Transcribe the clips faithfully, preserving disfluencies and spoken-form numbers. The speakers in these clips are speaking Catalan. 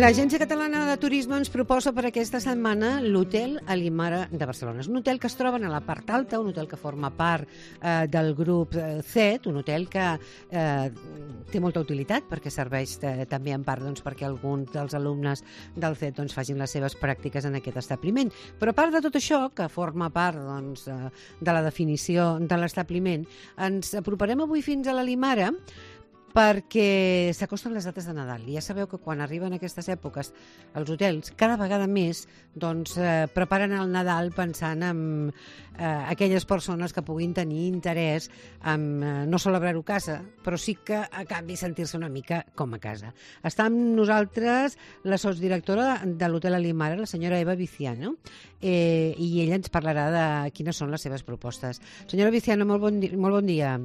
L'Agència Catalana de Turisme ens proposa per aquesta setmana l'Hotel Alimara de Barcelona. És un hotel que es troba a la part alta, un hotel que forma part eh, del grup C E T, un hotel que eh, té molta utilitat perquè serveix eh, també en part doncs, perquè alguns dels alumnes del C E T doncs, facin les seves pràctiques en aquest establiment. Però a part de tot això, que forma part doncs, eh, de la definició de l'establiment, ens aproparem avui fins a l'Alimara perquè s'acosten les dates de Nadal. I ja sabeu que quan arriben aquestes èpoques els hotels, cada vegada més doncs, eh, preparen el Nadal pensant en eh, aquelles persones que puguin tenir interès en eh, no celebrar-ho a casa, però sí que a canvi sentir-se una mica com a casa. Està amb nosaltres la sotsdirectora de l'Hotel Alimara, la senyora Eva Viciano, eh, i ella ens parlarà de quines són les seves propostes. Senyora Viciano, molt bon, di molt bon dia.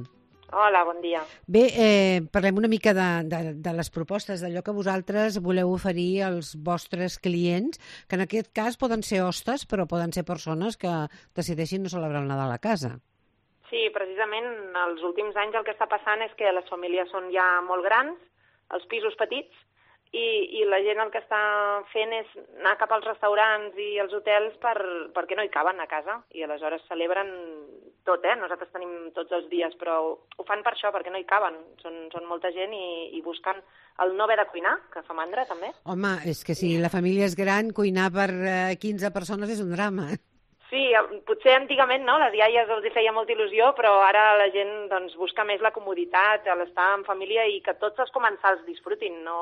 Hola, bon dia. Bé, eh, parlem una mica de, de, de les propostes, d'allò que vosaltres voleu oferir als vostres clients, que en aquest cas poden ser hostes, però poden ser persones que decideixin no celebrar el Nadal a casa. Sí, precisament els últims anys el que està passant és que les famílies són ja molt grans, els pisos petits, i, i la gent el que està fent és anar cap als restaurants i els hotels per, perquè no hi caben a casa, i aleshores celebren tot, eh? Nosaltres tenim tots els dies, però ho fan per això, perquè no hi caben. Són, són molta gent i, i busquen el no haver de cuinar, que fa mandra, també. Home, és que si la família és gran, cuinar per eh, quinze persones és un drama. Sí, potser antigament no, les iaies els hi feia molta il·lusió, però ara la gent doncs, busca més la comoditat, l'estar en família i que tots els comensals disfrutin. No?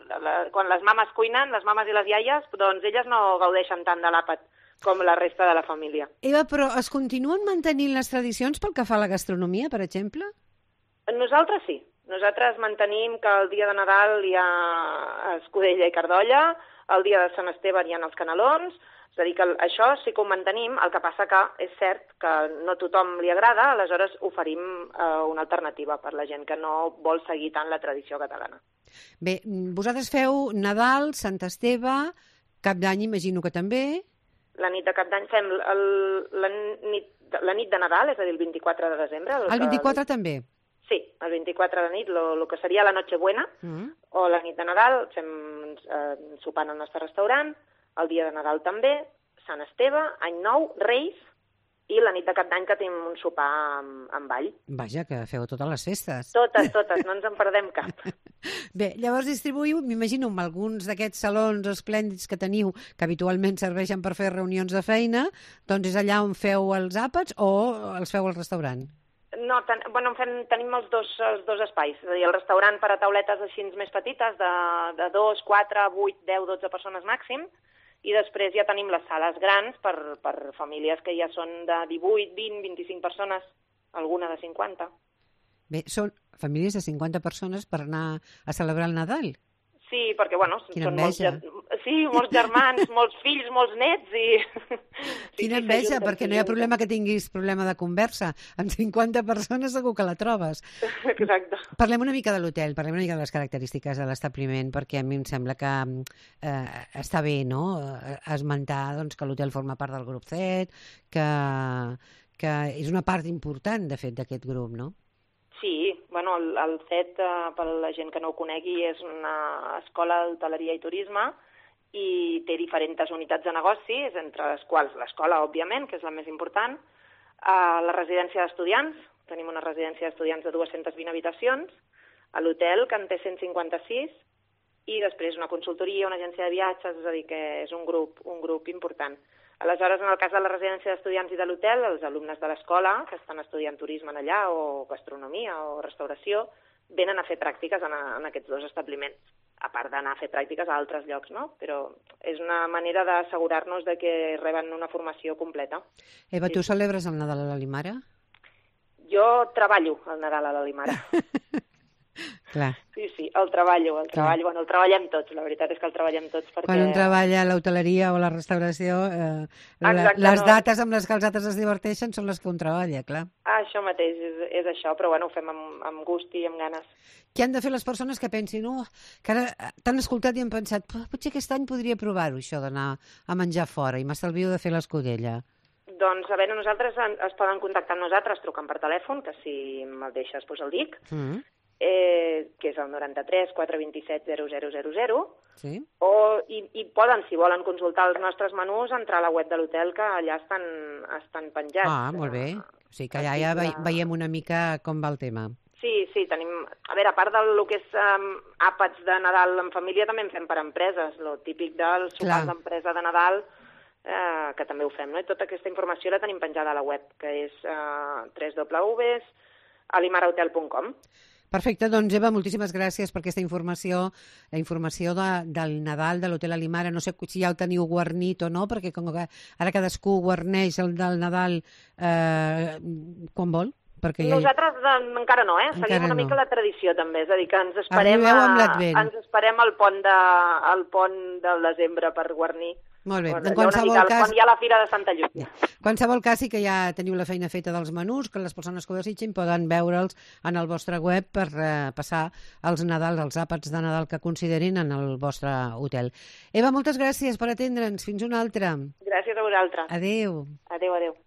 La, quan les mames cuinen, les mames i les iaies, doncs elles no gaudeixen tant de l'àpat com la resta de la família. Eva, però es continuen mantenint les tradicions pel que fa a la gastronomia, per exemple? Nosaltres sí. Nosaltres mantenim que el dia de Nadal hi ha escudella i cardolla, el dia de Sant Esteve hi ha els canelons. És a dir, que això sí que ho mantenim, el que passa que és cert que no a tothom li agrada, aleshores oferim eh, una alternativa per la gent que no vol seguir tant la tradició catalana. Bé, vosaltres feu Nadal, Sant Esteve, Cap d'Any imagino que també. La nit de Cap d'Any fem el, la, nit, la nit de Nadal, és a dir, el vint-i-quatre de desembre. El, el vint-i-quatre que... també? Sí, el vint-i-quatre de nit, el que seria la Nochebuena, mm. o la nit de Nadal, fem eh, sopant al nostre restaurant, el dia de Nadal també, Sant Esteve, Any Nou, Reis i la nit de Cap d'Any que tenim un sopar amb, amb ball. Vaja, que feu totes les festes. Totes, totes, no ens en perdem cap. Bé, llavors distribuïu, m'imagino, amb alguns d'aquests salons esplèndids que teniu, que habitualment serveixen per fer reunions de feina, doncs és allà on feu els àpats o els feu al restaurant? No, ten, bueno, fem, tenim els dos, els dos espais. És a dir, el restaurant per a tauletes així més petites, de, de dos, quatre, vuit, deu, dotze persones màxim, i després ja tenim les sales grans per, per famílies que ja són de divuit, vint, vint-i-cinc persones, alguna de cinquanta. Bé, són famílies de cinquanta persones per anar a celebrar el Nadal? Sí, perquè, bueno, Quina són enveja. molts, sí, molts germans, molts fills, molts nets i... Sí, Quina enveja, perquè no hi ha problema que tinguis problema de conversa. Amb cinquanta persones segur que la trobes. Exacte. Parlem una mica de l'hotel, parlem una mica de les característiques de l'establiment, perquè a mi em sembla que eh, està bé, no?, esmentar doncs, que l'hotel forma part del grup C E T, que, que és una part important, de fet, d'aquest grup, no? Sí, bueno, el, el C E T, eh, per la gent que no ho conegui, és una escola d'hoteleria i turisme i té diferents unitats de negocis, entre les quals l'escola, òbviament, que és la més important, eh, la residència d'estudiants, tenim una residència d'estudiants de dues-centes vint habitacions, a l'hotel, que en té cent cinquanta-sis, i després una consultoria, una agència de viatges, és a dir, que és un grup, un grup important. Aleshores, en el cas de la residència d'estudiants i de l'hotel, els alumnes de l'escola que estan estudiant turisme en allà, o gastronomia, o restauració, venen a fer pràctiques en, a, en aquests dos establiments, a part d'anar a fer pràctiques a altres llocs, no? Però és una manera d'assegurar-nos de que reben una formació completa. Eva, sí. Tu celebres el Nadal a l'Alimara? Jo treballo el Nadal a l'Alimara. Clar. Sí, sí, el treballo, el treballo, bueno, el treballem tots, la veritat és que el treballem tots perquè... Quan un treballa a l'hoteleria o a la restauració, eh, la, les dates amb les que els altres es diverteixen són les que un treballa, clar. Ah, això mateix, és, és això, però bueno, ho fem amb, amb gust i amb ganes. Què han de fer les persones que pensin, oh, que ara t'han escoltat i han pensat, potser aquest any podria provar-ho, això d'anar a menjar fora, i m'estalvio de fer l'escudella? Doncs, a veure, nosaltres es poden contactar amb nosaltres, trucant per telèfon, que si me'l deixes, doncs el dic, mm. eh, que és el noranta-tres quatre vint-i-set zero zero zero zero, sí. o, i, i poden, si volen consultar els nostres menús, entrar a la web de l'hotel, que allà estan, estan penjats. Ah, molt bé. O sigui que allà ja ve veiem una mica com va el tema. Sí, sí, tenim... A veure, a part del que és um, àpats de Nadal en família, també en fem per empreses, lo típic del sopar d'empresa de Nadal, eh, que també ho fem, no? I tota aquesta informació la tenim penjada a la web, que és uh, w w w punt alimarahotel punt com. Perfecte, doncs Eva, moltíssimes gràcies per aquesta informació, la informació de, del Nadal de l'Hotel Alimara. No sé si ja el teniu guarnit o no, perquè com que ara cadascú guarneix el del Nadal eh, quan vol. Perquè Nosaltres ja... encara no, eh? Encara Seguim una no. mica la tradició, també. És a dir, que ens esperem, a... ens esperem al pont, de... al pont del desembre per guarnir. Molt bé. En qualsevol mica, cas... Quan hi ha la Fira de Santa Lluïsa. En qualsevol cas, sí que ja teniu la feina feta dels menús, que les persones que ho desitgin poden veure'ls en el vostre web per eh, passar els Nadals, els àpats de Nadal que considerin en el vostre hotel. Eva, moltes gràcies per atendre'ns. Fins una altra. Gràcies a vosaltres. Adéu. Adéu, adéu.